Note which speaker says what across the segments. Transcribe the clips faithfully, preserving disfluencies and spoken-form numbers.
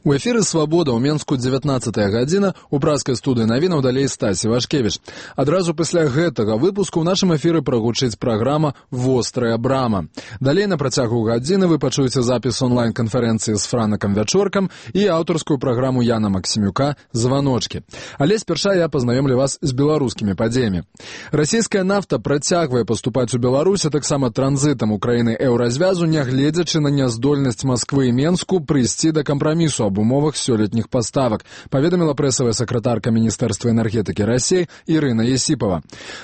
Speaker 1: У эфіры «Свабода» ў Менску дзевятнаццатая гадзіна, у пражскай студыі навінаў далей Стасі Вашкевіч. Адразу пасля гэтага выпуску ў нашым эфіры прагучыць праграма «Вострая брама». Далей на працягу гадзіны вы пачуеце запіс онлайн-канферэнцыі з Франакам Вячоркам і аўтарскую праграму Яна Максімюка «Званочкі». Але спярша я пазнаёмлю вас з беларускімі падзеямі. Расійская нафта працягвае паступаць у Беларусь, а таксама транзітам у краіны еўразвязу, нягледзячы на няздольнасць Масквы і Менску прыйсці да кампрамісу об умовах сёлетніх паставак, паведаміла прэсавая сакратарка Міністэрства энергетыкі Расіі Ірына Есіпова.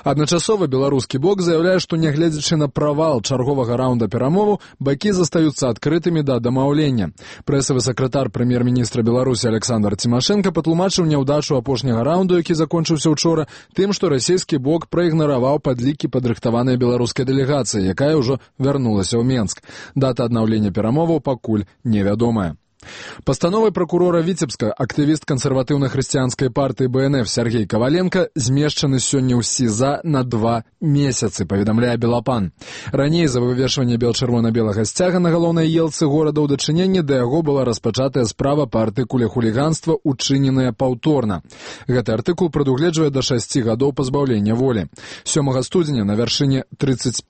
Speaker 1: Адначасова беларускі бок заяўляе, што нягледзячы на правал чарговага раўнда перамоваў, бакі застаюцца адкрытымі да дамаўлення. Прэсавы сакратар прэм'ер-міністра Беларусі Александр Цімашэнка патлумачыў няўдачу апошняга раўнду, які закончыўся учора, тым, што расійскі бок праігнараваў падлікі падрыхтаванай беларускай дэлегацыі, якая ўжо вярнулася ў Менск. Дата аднаўлення перамоваў пакуль невядомая. Пастановай пракурора Віцебска актывіст кансерватыўна-хрысціянскай партыі Бэ Эн Эф Сергей Каваленка змешчаны сёння ў СІЗА на два месяцы, паведамляе Белапан. Раней за вывешванне бел-чырвона-белага сцяга на галоўнай елцы горада ў дачыненні да яго была распачатая справа па артыкуле хуліганства, учыненая паўторна. Гэты артыкул прадугледжвае да шасці гадоў пазбаўлення волі. сёмага студзеня на вяршыні трыццаць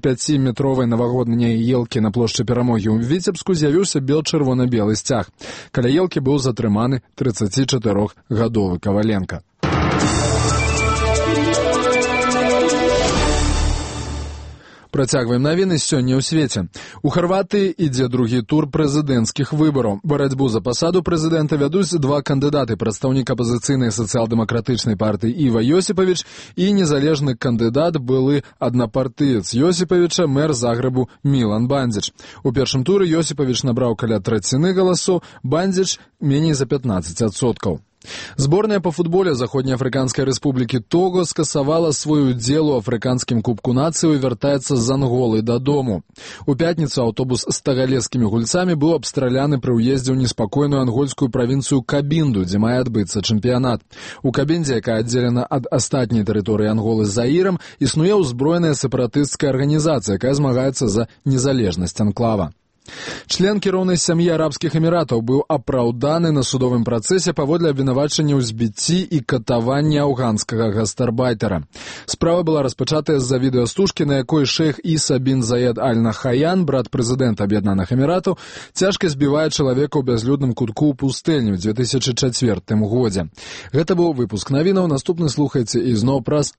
Speaker 1: пяціметровай навагодняй елкі на плошчы Перамогі ў Віцебску з'явіўся бел-чырвона-белы сцяг. Каля елкі быў затрыманы трыццацічатырохгадовы Каваленка. Працягваем навіны сёння ў свеце. У Харватыі ідзе другі тур прэзідэнцкіх выбараў. Барацьбу за пасаду прэзідэнта вядуць два кандыдаты: прадстаўнік апазіцыйнай сацыял-дэмакратычнай партыі Іва Йосіпавіч і незалежны кандыдат, былы аднапартыец Йосіпавіча, мэр Загрэбу Мілан Бандзіч. У першым туры Йосіпавіч набраў каля траціны галасоў, Бандзіч меней за пятнаццаць адсоткаў. Зборная па футболе Заходнеафрыканскай рэспублікі Того скасавала свой удзел у афрыканскім кубку нацыі і вяртаецца з Анголы дадому. У пятніцу аўтобус з тагалескімі гульцамі быў абстраляны пры ўездзе ў неспакойную ангольскую правінцыю Кабінду, дзе мае адбыцца чэмпіянат. У Кабіндзе, якая аддзелена ад астатняй тэрыторыі Анголы з Заірам, існуе ўзброеная сепаратысцкая арганізацыя, якая змагаецца за незалежнасць анклава. Член кіроўнай сям'і арабскіх эміратаў быў апраўданы на судовым працэсе паводле абвінавачання ў збіцці і катаванні афганскага гастарбайтера. Справа была распачатая з-за відэастужкі, на якой шэйх Іса бін Заед Аль-Нахаян, брат прэзідэнта Аб'яднаных Эміратаў, цяжка збівае чалавека ў бязлюдным кутку ў пустэльні ў дзве тысячы чацвёртым годзе. Гэта быў выпуск навінаў. Наступны слухайце і зноў праз